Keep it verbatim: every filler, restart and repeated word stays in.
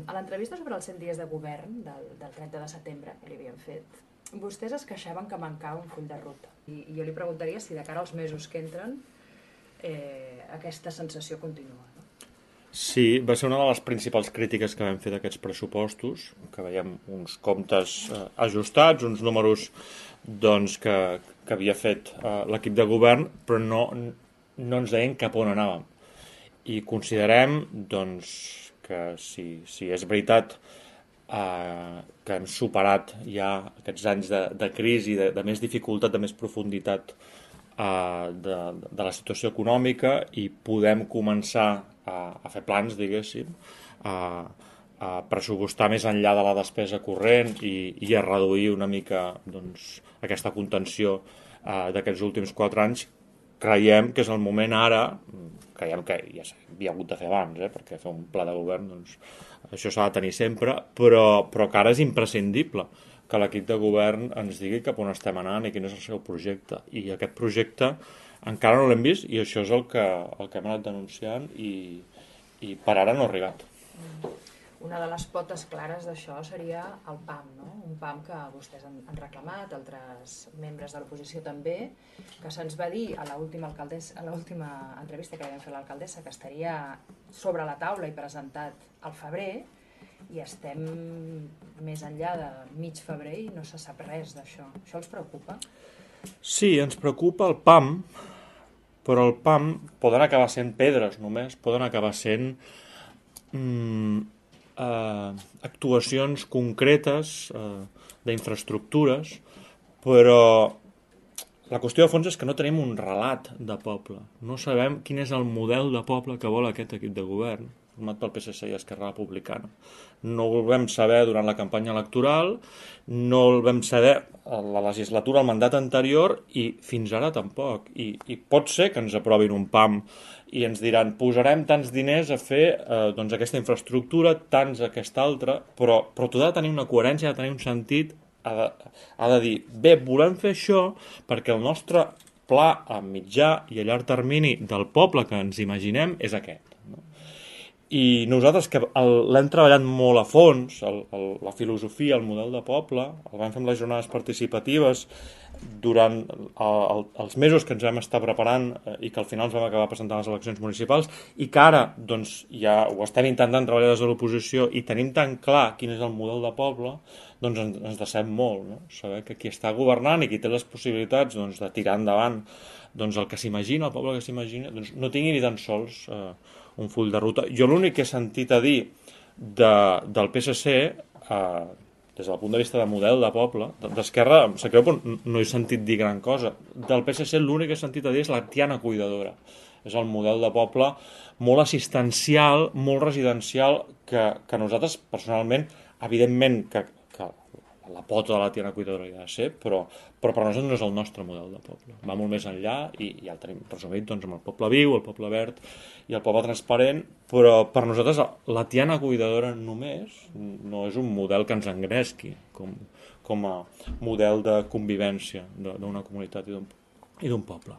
a l'entrevista sobre els cent dies de govern del, del trenta de setembre que li havien fet, vostès es queixaven que mancava un full de ruta. I, i jo li preguntaria si de cara als mesos que entren eh, aquesta sensació continua. No? Sí, va ser una de les principals crítiques que vam fer d'aquests pressupostos, que veiem uns comptes eh, ajustats, uns números doncs, que, que havia fet eh, l'equip de govern, però no, no ens deien cap on anàvem. I considerem doncs, que si, si és veritat eh, que hem superat ja aquests anys de, de crisi, de, de més dificultat, de més profunditat eh, de, de la situació econòmica i podem començar a, a fer plans, diguéssim, a, a pressupostar més enllà de la despesa corrent i, i a reduir una mica doncs, aquesta contenció eh, d'aquests últims quatre anys. Creiem que és el moment ara, creiem que ja s'havia hagut de fer abans, eh, perquè fer un pla de govern, doncs, això s'ha de tenir sempre, però, però que ara és imprescindible que l'equip de govern ens digui cap on estem anant i quin és el seu projecte. I aquest projecte encara no l'hem vist i això és el que, el que hem anat denunciant i, i per ara no ha arribat. Una de les potes clares d'això seria el P A M, no? Un P A M que vostès han, han reclamat, altres membres de l'oposició també, que se'ns va dir a l'última alcaldessa, a l'última entrevista que vam fer a l'alcaldessa que estaria sobre la taula i presentat al febrer, i estem més enllà de mig febrer i no se sap res d'això. Això els preocupa? Sí, ens preocupa el P A M, però el P A M poden acabar sent pedres només, poden acabar sent mm, eh, actuacions concretes eh, d'infraestructures, però la qüestió de fons és que no tenim un relat de poble. No sabem quin és el model de poble que vol aquest equip de govern, format pel P S C i Esquerra Republicana. No el vam saber durant la campanya electoral, no el vam saber a la legislatura, al mandat anterior, i fins ara tampoc. I, i pot ser que ens aprovin un P A M i ens diran posarem tants diners a fer eh, doncs aquesta infraestructura, tants a aquesta altra, però, però tot ha de tenir una coherència, ha de tenir un sentit, ha de, ha de dir, bé, volem fer això perquè el nostre pla a mitjà i a llarg termini del poble que ens imaginem és aquest. No? I nosaltres, que l'hem treballat molt a fons, el, el, la filosofia, el model de poble, el vam fer amb les jornades participatives durant el, el, els mesos que ens vam estar preparant eh, i que al final ens vam acabar presentant les eleccions municipals, i que ara doncs, ja ho estem intentant treballar des de l'oposició i tenim tan clar quin és el model de poble, doncs ens, ens decep molt, no? Saber que qui està governant i qui té les possibilitats doncs, de tirar endavant doncs, el que s'imagina, el poble que s'imagina, doncs, no tingui ni tan sols eh, un full de ruta. Jo l'únic que he sentit a dir de, del P S C, eh, des del punt de vista de model de poble, d'Esquerra, em sap greu, però no he sentit dir gran cosa. Del P S C l'únic que he sentit a dir és la Tiana Cuidadora. És el model de poble molt assistencial, molt residencial, que, que nosaltres, personalment, evidentment que, que la pota de la Tiana Cuidadora hi ha de ser, però, però per nosaltres no és el nostre model de poble. Va molt més enllà i ja el tenim resumit doncs, amb el poble viu, el poble verd i el poble transparent, però per nosaltres la Tiana Cuidadora només no és un model que ens engresqui com, com a model de convivència d'una comunitat i d'un poble.